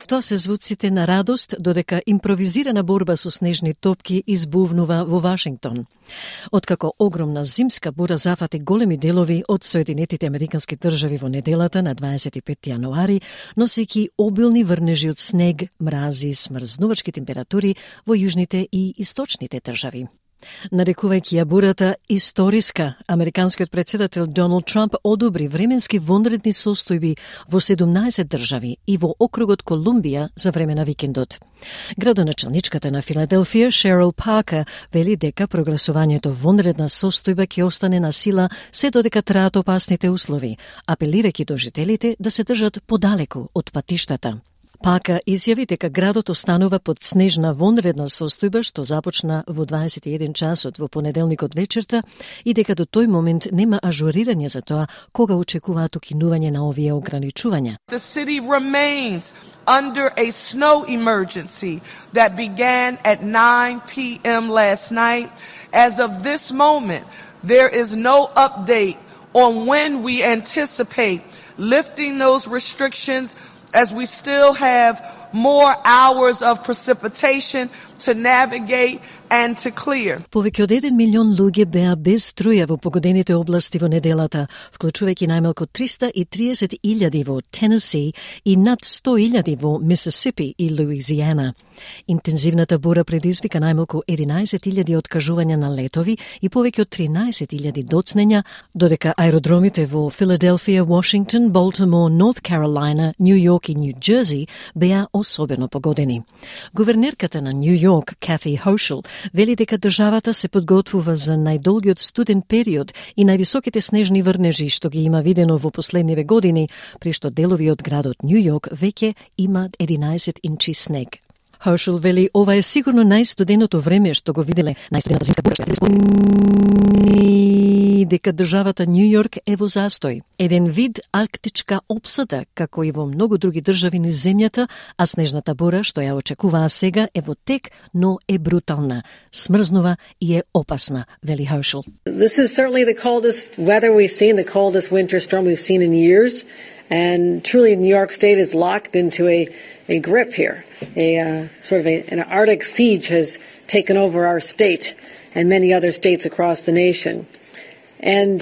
Тоа се звуците на радост, додека импровизирана борба со снежни топки избувнува во Вашингтон. Откако огромна зимска бура зафати големи делови од Соединетите Американски држави во неделата на дваесет и пети јануари, носејќи обилни врнежи од снег, мрази, смрзнувачки температури во јужните и источните држави. Нарекувајќи ја бурата историска, американскиот председател Доналд Трамп одобри временски вонредни состојби во седумнаесет држави и во округот Колумбија за време на викендот. Градоначалничката на Филаделфија, Шерил Паркер, вели дека прогласувањето вонредна состојба ќе остане на сила се додека траат опасните услови, апелирајќи до жителите да се држат подалеку од патиштата. Пака изјави дека градот останува под снежна вонредна состојба што започна во дваесет и еден часот во понеделникот вечерта и дека до тој момент нема ажурирање за тоа кога очекуваат укинување на овие ограничувања. The city remains under a snow emergency that began at nine p m last night. As of this moment, there is no update on when we anticipate lifting those restrictions, as we still have more hours of precipitation to navigate and to clear. Повеќе од еден милион луѓе беа без струја во погодените области во неделата, вклучувајќи најмалку триста и триесет илјади во Тенеси и над сто илјади во Мисисипи и Луизијана. Интензивната бура предизвика најмалку единаесет илјади откажувања на летови и повеќе од тринаесет илјади доцнења, додека аеродромите во Филаделфија, Вашингтон, Болтимор, Норт Каролина, Нью Йорк и Нью Џерси беа особено погодени. Гувернерката на Нью Йорк, Кати Хошел, вели дека државата се подготвува за најдолгиот студен период и највисоките снежни врнежи што ги има видено во последниве години, при што делови од градот Њу Јорк веќе има единаесет инчи снег. Herschel вели ова е сигурно најстуденото време што го виделе, најстудената зимска бура што е дека државата Њу Јорк е во застој. Еден вид арктичка опсада, како и во многу други држави низ земјата, а снежната бура што ја очекуваа сега е во тек, но е брутална, смрзнува и е опасна, вели Herschel. This is certainly the coldest weather we've seen, the coldest winter storm we've seen in years, and truly New York State is locked into a a grip here. A uh, sort of a, an Arctic siege has taken over our state and many other states across the nation. And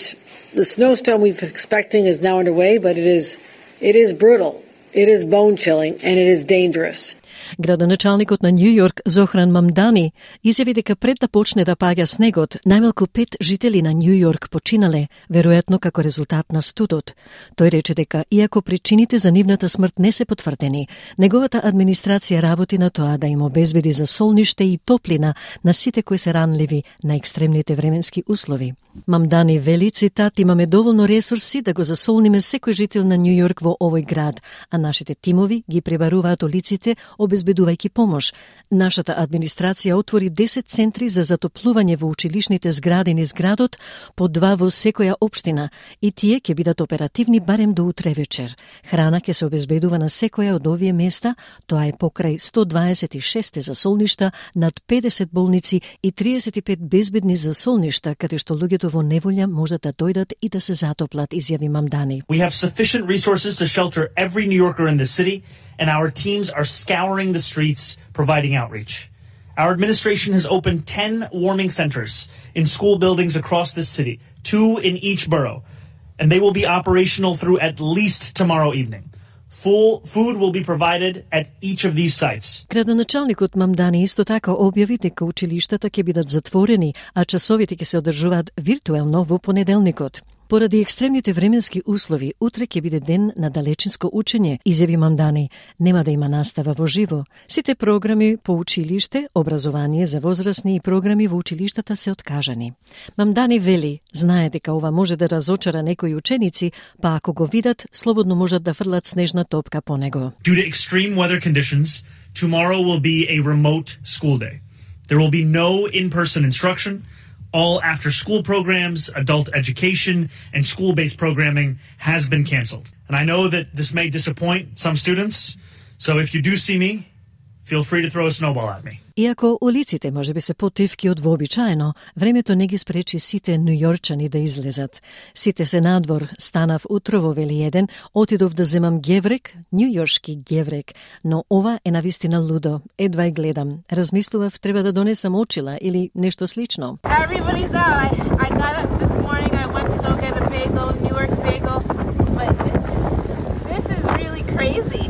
the snowstorm we've been expecting is now underway, but it is it is brutal, it is bone-chilling, and it is dangerous. Градоначалникот на Њу Јорк Зохран Мамдани изјави дека пред да почне да паѓа снегот, најмалку пет жители на Њу Јорк починале, веројатно како резултат на студот. Тој рече дека, иако причините за нивната смрт не се потврдени, неговата администрација работи на тоа да им обезбеди за солниште и топлина на сите кои се ранливи на екстремните временски услови. Мамдани вели, цитат, имаме доволно ресурси да го засолниме секој жител на Њу Јорк во овој град, а нашите тимови ги пребаруваат улиците, обезбедувајќи помош. Нашата администрација отвори десет центри за затоплување во училишните згради низ градот, по два во секоја општина, и тие ќе бидат оперативни барем до утре вечер. Храна ќе се обезбедува на секоја од овие места, тоа е покрај сто дваесет и шест засолништа, над педесет болници и триесет и пет безбедни засолништа, каде што луѓето во неволја можат да дојдат и да се затоплат, изјави Мамдани. We have sufficient resources to shelter every New Yorker in the city, and our teams are scouring the streets, providing outreach. Our administration has opened ten warming centers in school buildings across this city, two in each borough, and they will be operational through at least tomorrow evening. Full food will be provided at each of these sites. Градоначалникот Мамдани исто така објави дека училиштата ќе бидат затворени, а часовите ќе се одржуваат виртуелно во понеделникот. Поради екстремните временски услови, утре ќе биде ден на далечинско учење, изјави Мамдани. Нема да има настава во живо. Сите програми по училиште, образование за возрастни и програми во училиштата се откажани. Мамдани вели, знае дека ова може да разочара некои ученици, па ако го видат, слободно можат да фрлат снежна топка по него. Due to extreme weather conditions, tomorrow will be a remote school day. There will be no in-person instruction. All after-school programs, adult education, and school-based programming has been canceled. And I know that this may disappoint some students, so if you do see me, feel free to throw a snowball at me. Иако улиците може би се потивки од вообичаено, времето не ги спречи сите њујорчани да излезат. Сите се надвор, станав утрово, вели еден, отидов да земам геврек, њујоршки геврек, но ова е навистина лудо. Едва ја гледам. Размислував треба да донесам очила или нешто слично. Everybody's out. I, I got up this morning, I went to go get a bagel, New York bagel, but this, this is really crazy.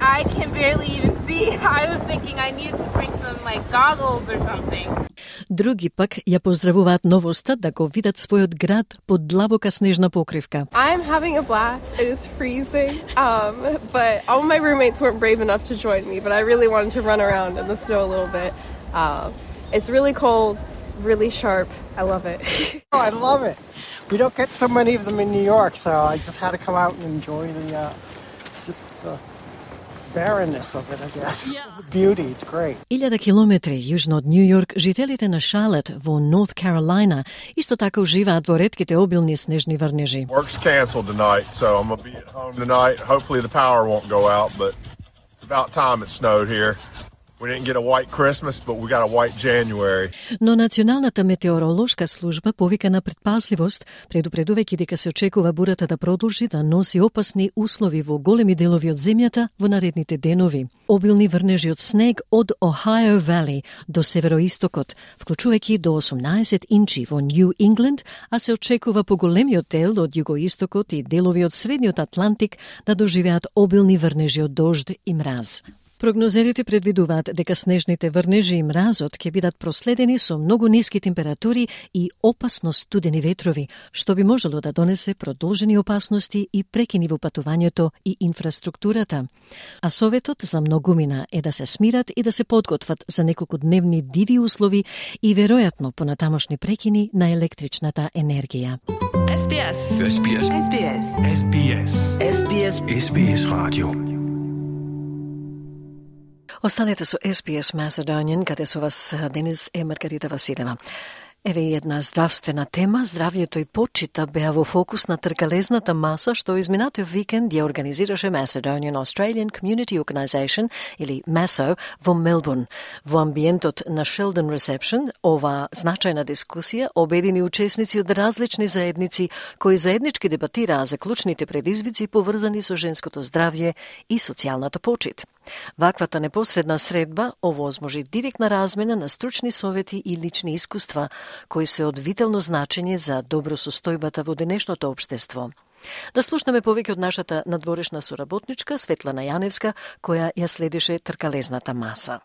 I can barely even see. I was thinking I needed to bring some like goggles or something. Други пак ја поздравуваат новоста да го видат својот град под длабока снежна покривка. I'm having a blast. It is freezing, um, but all my roommates weren't brave enough to join me, but I really wanted to run around in the snow a little bit. Uh, it's really cold, really sharp. I love it. Oh, I love it. We don't get so many of them in New York, so I just had to come out and enjoy the uh, just the barrenness of it, I guess. Yeah. The beauty, it's great. Илјада километри јужно од Њу Јорк, жителите на Шарлот во Норth Carolina исто така уживаат во ретките обилни снежни врнежи. Work's canceled tonight, so I'm gonna be at home tonight. Hopefully the power won't go out, but it's about time it snowed here. We didn't get a white Christmas, but we got a white January. Но Националната метеоролошка служба повика на предпазливост, предупредувајќи дека се очекува бурата да продолжи да носи опасни услови во големи делови од земјата во наредните денови. Обилни врнежи од снег од Ohio Valley до североистокот, вклучувајќи до осумнаесет инчи во New England, а се очекува поголемиот дел од југоистокот и делови од средниот Атлантик да доживеат обилни врнежи од дожд и мраз. Прогнозерите предвидуваат дека снежните врнежи и мразот ќе бидат проследени со многу ниски температури и опасно студени ветрови, што би можело да донесе продолжени опасности и прекини во патувањето и инфраструктурата. А советот за многумина е да се смират и да се подготват за неколку дневни диви услови и веројатно понатамошни прекини на електричната енергија. S B S. S B S. S B S. S B S. S B S. S B S Radio. Останете со S B S Macedonian, каде со вас денес е Маргарита Василева. Еве и една здравствена тема. Здравието и почита беа во фокус на тркалезната маса што изминатиот викенд ја организираше Macedonian Australian Community Organisation или MASO во Мелбурн. Во амбиентот на Sheldon Reception, ова значајна дискусија обедини учесници од различни заедници кои заеднички дебатираа за клучните предизвици поврзани со женското здравје и социјалната почит. Ваквата непосредна средба овозможи директна размена на стручни совети и лични искуства, кои се од витално значење за добросостојбата во денешното општество. Да слушнеме повеќе од нашата надворешна соработничка Светлана Јаневска, која ја следише тркалезната маса.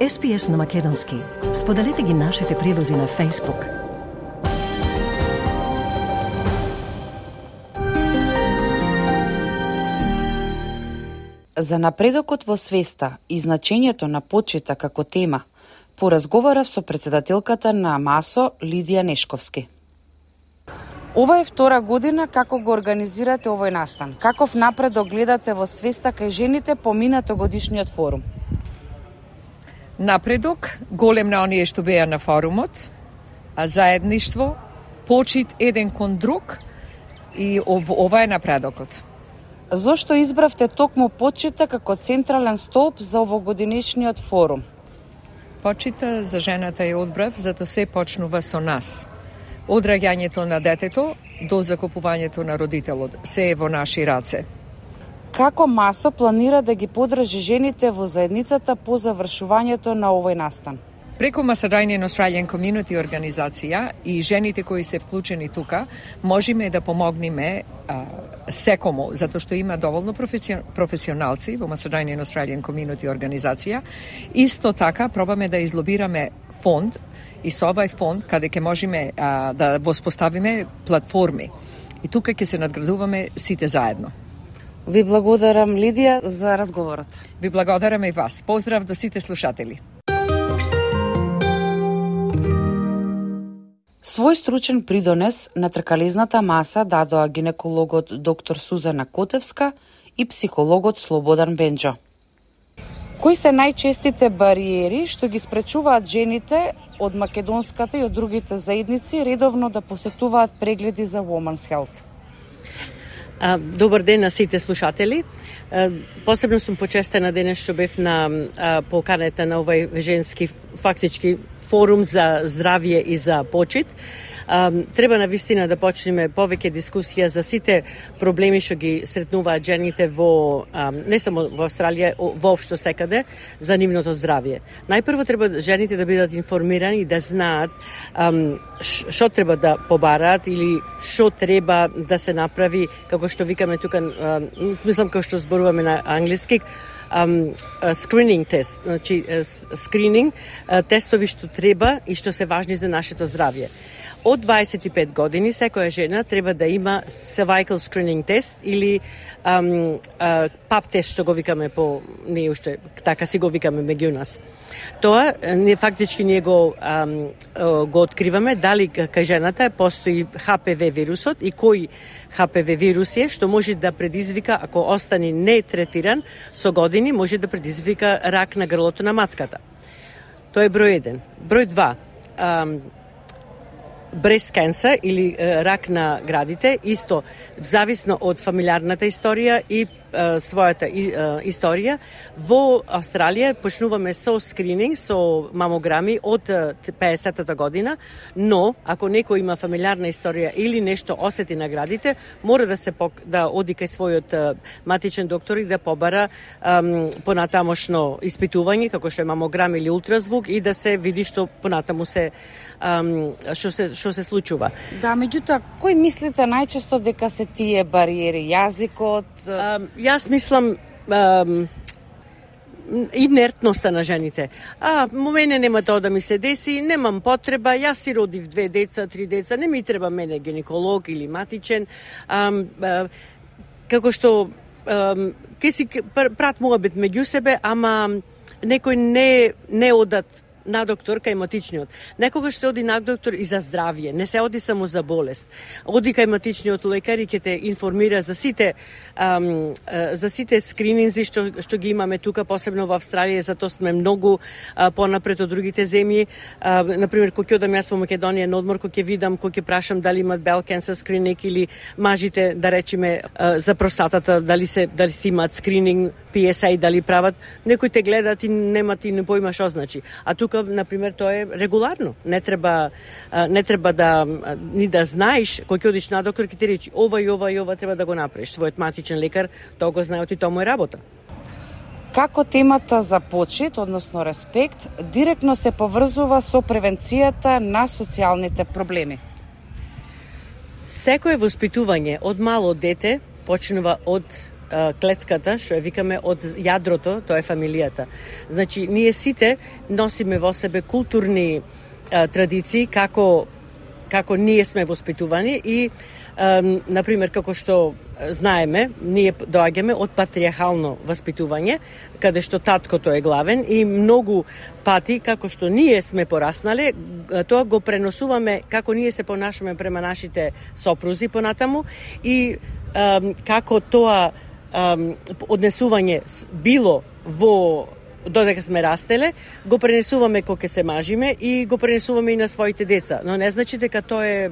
S B S на македонски. Споделете ги нашите прилози на Facebook. За напредокот во свеста и значењето на почита како тема, поразговарав со председателката на МАСО Лидија Нешковски. Ова е втора година како го организирате овој настан. Каков напредок гледате во свеста кај жените по минатогодишниот форум? Напредок голем на оние што беа на форумот, а заедништво, почит еден кон друг и ов, ова е напредокот. Зошто избравте токму почита како централен столб за овогодинешниот форум? Почита за жената е одбрав, зато се почнува со нас. Од раѓањето на детето до закупувањето на родителот. Се е во наши раце. Како МАСО планира да ги подржи жените во заедницата по завршувањето на овој настан? Преку Macedonian Australian Community организација и жените кои се вклучени тука, можеме да помогнеме а, секому, затоа што има доволно професионалци во Macedonian Australian Community организација. Исто така пробаме да излобираме фонд и со овај фонд каде ќе можеме а, да воспоставиме платформи. И тука ќе се надградуваме сите заедно. Ви благодарам, Лидија, за разговорот. Ви благодарам и вас. Поздрав до сите слушатели. Свој стручен придонес на тркалезната маса дадоа гинекологот доктор Сузана Котевска и психологот Слободан Бенџо. Кои се најчестите бариери што ги спречуваат жените од македонската и од другите заедници редовно да посетуваат прегледи за Women's Health? Добар ден на сите слушатели. Посебно сум почестена денес што бев на поканета на овој женски фактички форум за здравје и за почит. Треба на вистина да почнеме повеќе дискусија за сите проблеми што ги сретнуваат жените во не само во Австралија, воопшто секаде за нивното здравје. Најпрво треба жените да бидат информирани и да знаат што треба да побараат или што треба да се направи, како што викаме тука, мислам како што зборуваме на англиски, Um, uh, screening тест, значи uh, скрининг, uh, тестови што треба и што се важни за нашето здравје. Од дваесет и пет години секоја жена треба да има cervical screening тест или um, uh, пап тест што го викаме по ние уште така си го викаме меѓу нас. Тоа не фактички ние го um, го откриваме дали кај жената постои Х П В вирусот и кој Х П В вирус е што може да предизвика, ако остане не третиран со години, може да предизвика рак на грлото на матката. Тоа е број еден. Број два. Um, breast cancer или е, рак на градите, исто зависно од фамилиарната историја и е, својата и, е, историја. Во Австралија почнуваме со скрининг, со мамограми од педесетата година, но ако некој има фамилиарна историја или нешто осети на градите, мора да се пок... да оди кај својот е, матичен доктор и да побара е, понатамошно испитување, како што е мамограм или ултразвук, и да се види што понатаму се што се што се случува. Да, меѓутоа, кој мислите најчесто дека се тие бариери? Јазикот? Um, јас мислам um, инертноста на жените. А, му мене нема тоа да ми се деси, немам потреба, јас си родив две деца, три деца, не ми треба мене гинеколог или матичен. А, а, како што а, ке си прат муабет меѓу себе, ама некој не, не одат на доктор кај матичниот. Некогаш се оди на доктор и за здравје, не се оди само за болест. Оди кај матичниот лекар и ќе те информира за сите ам, за сите скрининзи што што ги имаме тука, посебно во Австралија, затоа сме многу а, понапред од другите земји. А, на пример, кога ќе одам јас во Македонија на одмор, кога ќе видам, кога ќе прашам дали имаат bowel cancer скрининг или мажите, да речеме, а, за простатата, дали се дали си имаат скрининг, Пи Ес А, дали прават, некои те гледат и немат и не поима што значи. А тука, на пример, тоа е регуларно. Не треба не треба да ни да знаеш кога ќе одиш на доктор ќе ти речи ова и ова и ова треба да го направиш. Својот матичен лекар тоа го знае, и тоа му е работа. Како темата за почит, односно респект, директно се поврзува со превенцијата на социјалните проблеми? Секое воспитување од мало дете почнува од клетката, што ја викаме од јадрото, тоа е фамилијата. Значи, ние сите носиме во себе културни а, традиции, како, како ние сме воспитувани и, а, например, како што знаеме, ние доаѓаме од патриархално воспитување, каде што таткото е главен и многу пати, како што ние сме пораснале, тоа го преносуваме како ние се понашаме према нашите сопрузи понатаму и а, како тоа Um, однесување било во додека сме растеле, го пренесуваме кога се мажиме и го пренесуваме и на своите деца. Но не значи дека тоа е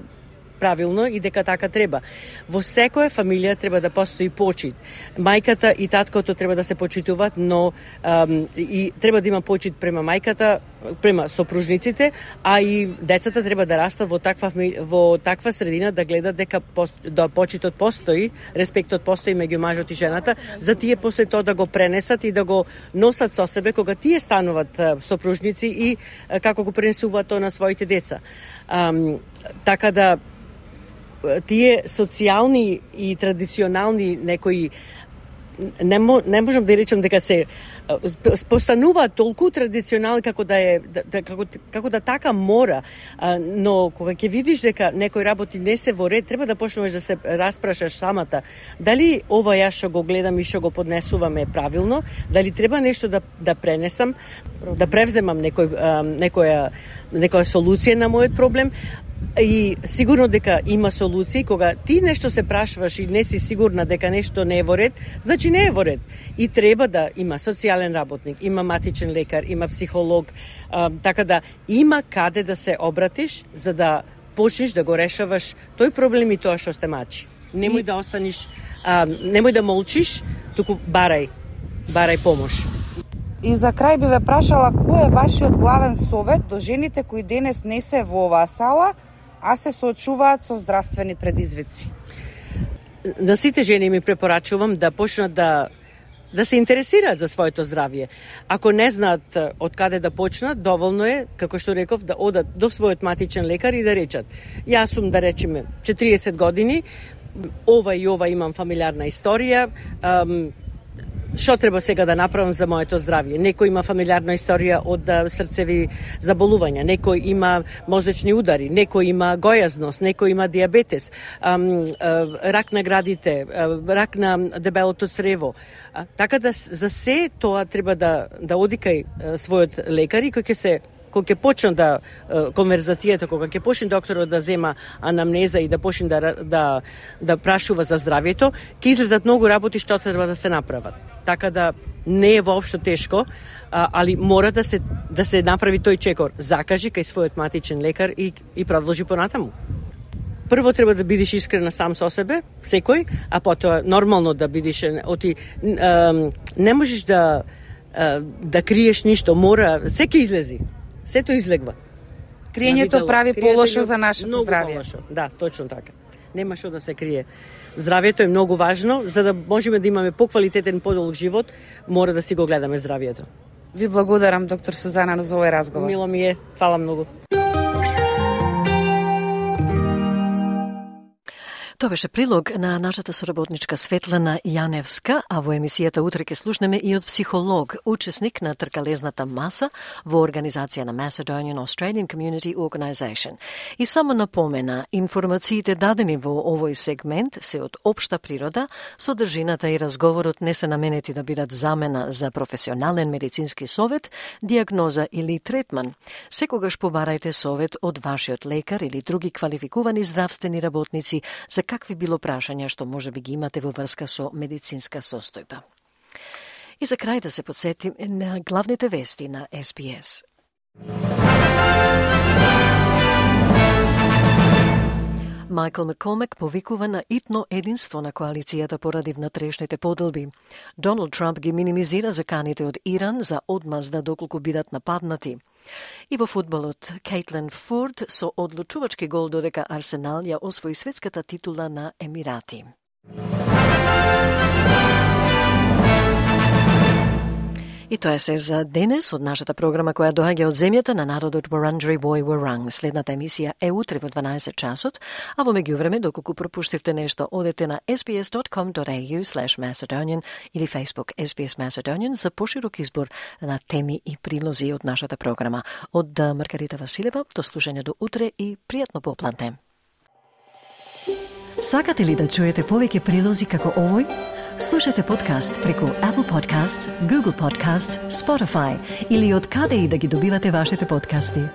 правилно и дека така треба. Во секоја фамилија треба да постои почит. Мајката и таткото треба да се почитуваат, но um, и треба да има почит према мајката, према сопружниците, а и децата треба да растат во таква во таква средина да гледат дека да почитот постои, респектот постои меѓу мажот и жената, за тие после тоа да го пренесат и да го носат со себе кога тие стануваат сопружници и како го пренесуваат тоа на своите деца. Um, така да тие социјални и традиционални некои не, мо, не можам да речам дека се постануваат толку традиционални како да е да, како, како да така мора, а, но кога ќе видиш дека некој работи не се во ред, треба да почнеш да се распрашаш самата дали ова јас што го гледам и што го поднесувам е правилно, дали треба нешто да да пренесам, да превземам некој а, некоја некоја солуција на мојот проблем. И сигурно дека има солуции, кога ти нешто се прашуваш и не си сигурна дека нешто не е во ред, значи не е во ред. И треба да има социјален работник, има матичен лекар, има психолог, а, така да има каде да се обратиш за да почнеш да го решаваш тој проблем и тоа што сте мачи. Немој и... да останеш, а, немој да молчиш, туку барај, барај помош. И за крај би ве прашала кој е вашиот главен совет до жените кои денес не се во оваа сала, а се соочуваат со здравствени предизвици? На сите жени ми препорачувам да почнат да да се интересираат за своето здравје. Ако не знаат од каде да почнат, доволно е, како што реков, да одат до својот матичен лекар и да речат: јас сум, да речеме, четириесет години, ова и ова имам фамилиарна историја, ам, што треба сега да направам за моето здравје? Некој има фамилиарна историја од срцеви заболувања, некој има мозочни удари, некој има гојазност, некој има диабетес, ам, рак на градите, рак на дебелото црево. Така да за се тоа треба да да оди кај својот лекар и кој ќе се кога ќе почне да конверзацијата, кога ќе почне докторот да зема анамнеза и да почне да да да прашува за здравјето, ќе излезат многу работи што треба да се направат. Така да не е воопшто тешко, а, али мора да се да се направи тој чекор. Закажи кај својот матичен лекар и и продолжи понатаму. Прво треба да бидеш искрена сам со себе, секој, а потоа нормално да бидеш оти не можеш да да криеш ништо, мора секој излези. Сето излегва. Криењето прави полошо за нашето здравје. Полошо. Да, точно така. Нема што да се крие. Здравјето е многу важно, за да можеме да имаме поквалитетен, подолг живот, мора да си го гледаме здравјето. Ви благодарам, доктор Сузана, за овој разговор. Мило ми е. Фала многу. Тоа беше прилог на нашата соработничка Светлана Јаневска, а во емисијата утре ќе слушнеме и од психолог, учесник на тркалезната маса во организација на Macedonian Australian Community Organisation. И само напомена, информациите дадени во овој сегмент се од општа природа, содржината и разговорот не се наменети да бидат замена за професионален медицински совет, диагноза или третман. Секогаш побарајте совет од вашиот лекар или други квалификувани здравствени работници за какви било прашања што може би ги имате во врска со медицинска состојба. И за крај да се подсетим на главните вести на Ес Би Ес. Майкл Маккормак повикува на итно единство на коалицијата поради внатрешните поделби. Доналд Трамп ги минимизира заканите од Иран за одмазда доколку бидат нападнати. И во фудбалот, Кейтлин Форд со одлучувачки гол додека Арсенал ја освои светската титула на Емирати. И тоа е се за денес од нашата програма која доаѓа од земјата на народот Wurundjeri Woi Wurrung. Следната емисија е утре во дванаесет часот, а во меѓувреме, доколку пропуштивте нешто, одете на ес би ес дот ком дот ей ю слеш macedonian или Facebook Ес Би Ес Macedonian за поширок избор на теми и прилози од нашата програма. Од Маргарита Василева, до слушање до утре и пријатно попладне. Сакате ли да чуете повеќе прилози како овој? Слушате подкаст преку Apple Podcasts, Google Podcasts, Spotify или од каде и да ги добивате вашите подкасти.